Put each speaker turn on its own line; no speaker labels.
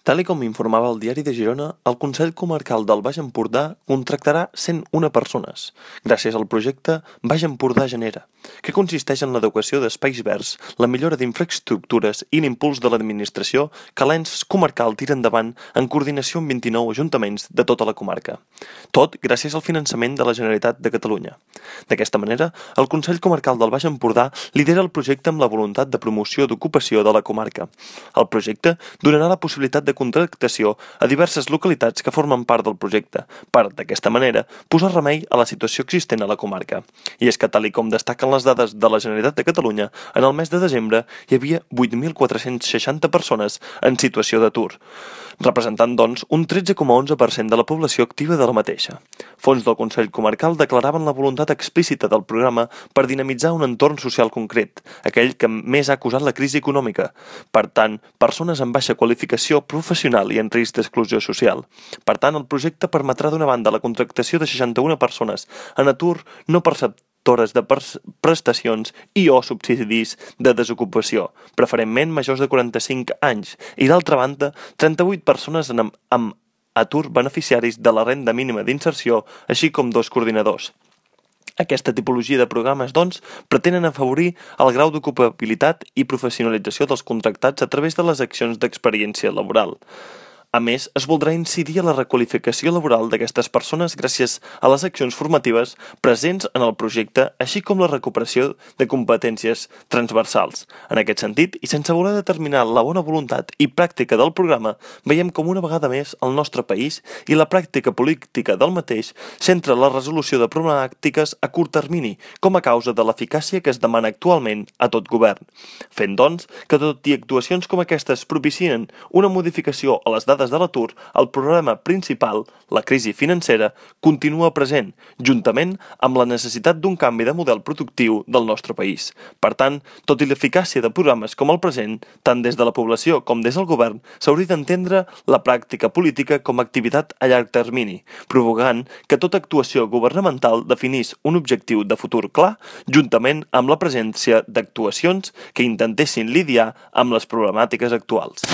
Tal com informava el Diari de Girona, el Consell Comarcal del Baix Empordà contractarà 101 persones, gràcies al projecte Baix Empordà Genera, que consisteix en l'adequació d'espais verds, la millora d'infraestructures i l'impuls de l'administració que l'ens comarcal tira endavant en coordinació amb 29 ajuntaments de tota la comarca. Tot gràcies al finançament de la Generalitat de Catalunya. D'aquesta manera, el Consell Comarcal del Baix Empordà lidera el projecte amb la voluntat de promoció d'ocupació de la comarca. El projecte donarà la possibilitat de contractació a diverses localitats que formen part del projecte, per, d'aquesta manera, posar remei a la situació existent a la comarca. I és que, tal com destaquen les dades de la Generalitat de Catalunya, en el mes de desembre hi havia 8.460 persones en situació d'atur, representant, doncs, un 13,11% de la població activa de la mateixa. Fons del Consell Comarcal declaraven la voluntat explícita del programa per dinamitzar un entorn social concret, aquell que més ha causat la crisi econòmica. Per tant, persones amb baixa qualificació professional i en risc d'exclusió social. Per tant, el projecte permetrà d'una banda la contractació de 61 persones en atur no perceptores de prestacions i o subsidis de desocupació, preferentment majors de 45 anys, i d'altra banda, 38 persones amb atur beneficiaris de la renda mínima d'inserció, així com 2 coordinadors. Aquesta tipologia de programes, doncs, pretenen afavorir el grau d'ocupabilitat i professionalització dels contractats a través de les accions d'experiència laboral. A més, es voldrà incidir a la requalificació laboral d'aquestes persones gràcies a les accions formatives presents en el projecte, així com la recuperació de competències transversals. En aquest sentit, i sense voler determinar la bona voluntat i pràctica del programa, veiem com una vegada més el nostre país i la pràctica política del mateix centra la resolució de problemàtiques a curt termini, com a causa de l'eficàcia que es demana actualment a tot govern. Fent, doncs, que tot i actuacions com aquestes propicien una modificació a les dades de l'atur, el problema principal, la crisi financera, continua present, juntament amb la necessitat d'un canvi de model productiu del nostre país. Per tant, tot i l'eficàcia de programes com el present, tant des de la població com des del govern, s'hauria d'entendre la pràctica política com a activitat a llarg termini, provocant que tota actuació governamental definís un objectiu de futur clar, juntament amb la presència d'actuacions que intentessin lidiar amb les problemàtiques actuals.